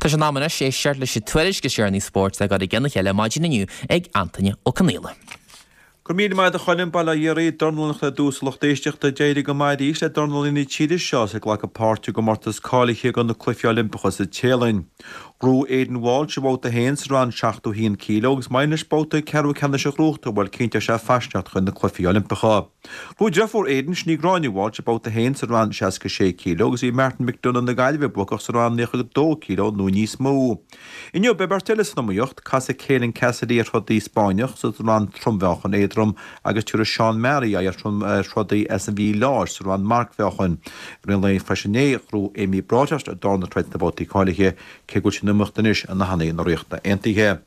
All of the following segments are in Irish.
Tá sé in am anois éisteacht leis an tuairisc is deireanaí spóirt le gabháil i gcionn a chéile maidin inniu ag Antaine Ó Conaola. Go raibh míle maith agat a Choilm, bail ó Dhia oraibh, dornálaíocht ar dtús a lucht éisteachta. D'éirigh go maith arís le dornálaithe na tíre seo is ag glacadh páirte i gcomórtas cáilithe do na Cluichí Oilimpeacha sa Téalainn. Ghnóthaigh Aidan Walsh a bhabhta féin sa rang 71 kg agus maidir leis babhta ceathrú ceannais a ghnóthachtáil, bhuel cinnteoidh sé fairsneacht chuig na Cluichí Oilimpeacha. Ghnóthaigh deirfiúr Aidan, sin í Gráinne Walsh, a babhta féin sa rang 66 kg agus bhí Martin McDonagh na Gaillimhe buacach sa rang 92 kg nó níos mó. Inniu, beidh beirt eile san iomaíocht, casfaidh Keelan Cassidy ar throdaí Spáinneach sa rang trom-mheáchan éadrom agus tabharfaidh Seán Mearaí aghaidh ar throdaí as an Mhí Láir sa rang marcmheáchain. I rith an lae freisin inné, ghnóthaigh Amy Broadhurst a darna troid sna babhtaí cáilithe, cé go bhfuil sí in iomaíocht anois i ndathanna na Ríochta Aontaithe.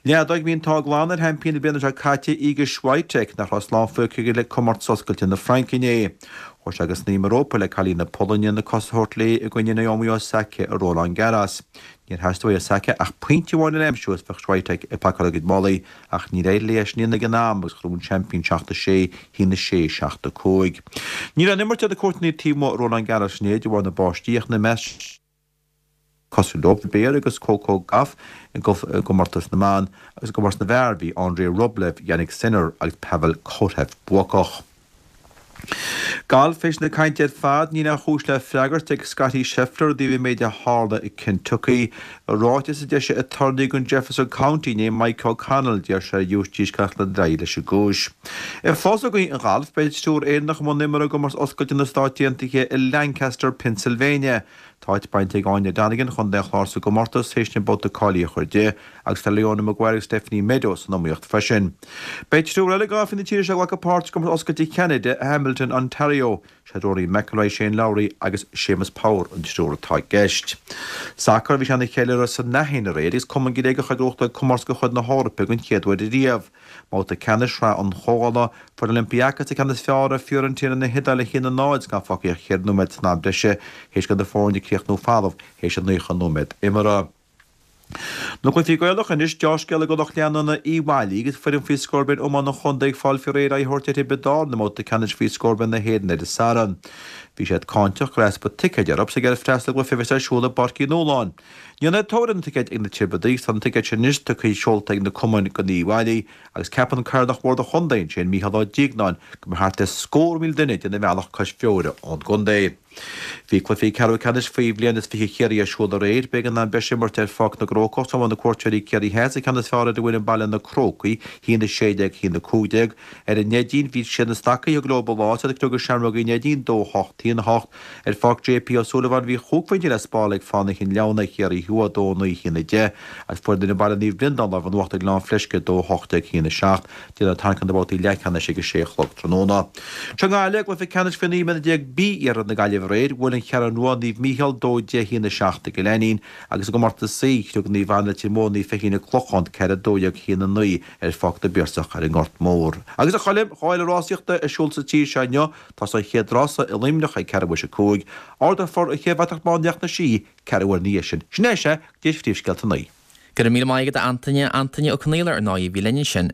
Leadóg, bhí an t-ádh glan ar sheaimpín na bliana seo caite, Iga Swiatek, nach raibh slán fágtha aici le comórtas oscailte na Fraince inné. Chuaigh sé go snaidhm an rópa le cailín na Polainne na cosa a thabhairt léi i gcoinne Naomi Osaka i Roland Garros. Níor theastaigh uaidh Osaka ach pointe amháin a aimsiú is bheadh Swiatek ag pacáil a cuid málaí ach níor éirigh léi é sin a dhéanamh ag an am agus ghnóthaigh an seaimpín 7-6, 1-6, 7-5. Ní raibh aon imirt ar na cúirteanna taobh amuigh i Roland Garros inné de bharr na báistí ach ina measc cosúil leo, Humbert agus Coco Gauff i gcomórtas na mban agus i gcomórtas na bhfear bhí Andrei Rublev, Jannik Sinner agus Pavel Kotev buacach. Galf, Théis na cainte ar fad, níl aon chúis le freagairt ag Scottie Scheffler i dtaobh an méid a tharla i Kentucky. I ráiteas a d'eisigh aturnae don Jefferson County inné, Mike O'Connell, d'iarr sé ar ghiúistís gan dul ar aghaidh leis an gcúis. Ag fás againn an ghalf, beidh triúr Éireannach i mbun imeartha i gcomórtas oscailte na Stát Aontaithe i Lancaster, Pennsylvania. Tá áit bainte ag Áine Donegan, Chontae an Chláir sa gcomórtas théis an babhta cáilithe a chur di, agus tá Leona Maguire agus Stephanie Meadows san iomaíocht freisin. Beidh triúr eile galfaithe na tíre seo ag glacadh páirt i gcomórtas oscailte Cheanada i Hamilton, Ontario. Siad Rory McIlroy, Shane Lowry agus Séamus Power an triúr atá i gceist. Sacar, Bhí sé ina cheiliúradh san Aithin aréir agus Cumann Gréagach ag gnóthachtáil comórtas de chuid na hEorpa den chéad uair ariamh. Mbabhta ceannais Shraith an Chomhdhála, fuair Olympiacos an ceann is fearr ar Fiorentina na hIodáile 1-0 is gan fágtha ach cheithre nóiméad san am breise théis do na foirne críochnú folamh théis an 90 nóiméad imeartha. Na cluichí Gaelacha anois, deá-scéala do lucht leanúna Uíbh Fhailí agus foireann faoi scór bliain iomána an chontae ag fáil faoi réir aghaidh a thabhairt ar Thiobraid Árann i mbabhta ceannais faoi scór bliain na hÉireann ar an Satharn. Bhí siad cáinteach go raibh easpa ticéid orthu is ag iarraidh freastal ar an gcluiche a bheas ar siúl i bPáirc Uí Nualláin. Ní raibh tóir ar na ticéid ag na Tiobradaigh agus tá na ticéid sin anois tugtha seolta ag na cumainn do Uíbh Fhailí agus ceapann Cathaoirleach Bhord an Chontae ansin, Mícheál Ó Diognáin, go mbeidh thart ar scór 1,000 duine ag déanamh an bhealach cois Feabhair ón gcontae. Bhí cluichí ceathrú ceannais faoi bhliain is 20 Chiarraí ar siúl aréir. B'éigean am breise a imirt ar Pháirc na gCrócach sula bhfuair na cuairteoirí Ciarraí Theas an ceann is fearr ar an bhfoireann baile Na Crócaigh, 1-16, 1-15. Ar an Neidín, bhí siad na Stacaigh a thug leo an lá, is iad ag criogadh Seamrógaí Neidín, 2-8, 1-8. Ar Pháirc JP Ó Súilleabháin bhí chúig phointe le spáráil ag Fánaithe Chinn Leamhna, Chiarraí Thuaidh, 2-9, 1-10, agus fuair an fhoireann baile Naomh Breandán lámh in uachtar ag Gleann Fleisce, 2-18, 1-7. Déanfar tarraingt ar na babhtaí leathcheannais ag a sé a chlog tráthnóna. Seo i nGaillimh, i gcluiche ceannais faoi 19 mbliana B Iarthar na Gaillimhe aréir, bhuail an Cheathrú Rua Naomh Mícheál, 2-10, 1-7 i gCill Ainnín, agus i gcomórtas C, chriog Naomh Anna Leitir Móir Naomh Feichín an Clochán, 4-12, 1-9 ar Pháirc na bPiarsach ar an nGort Mór. Agus a Choilm, dhá fhéile rásaíochta ar siúl sa tír seo inniu, Tosóidh an chéad rása i Luimneach ag ceathrú théis a 5. Ardófar an chéad bhratach bán Leacht na Sí ceathrú uair ina dhiaidh sin. Sin é, sea, go dtí phríomhscéalta a naoi. Go raibh míle maith agat a Antaine, Antaine Ó Conaola ar ndóigh a bhí linn ansin.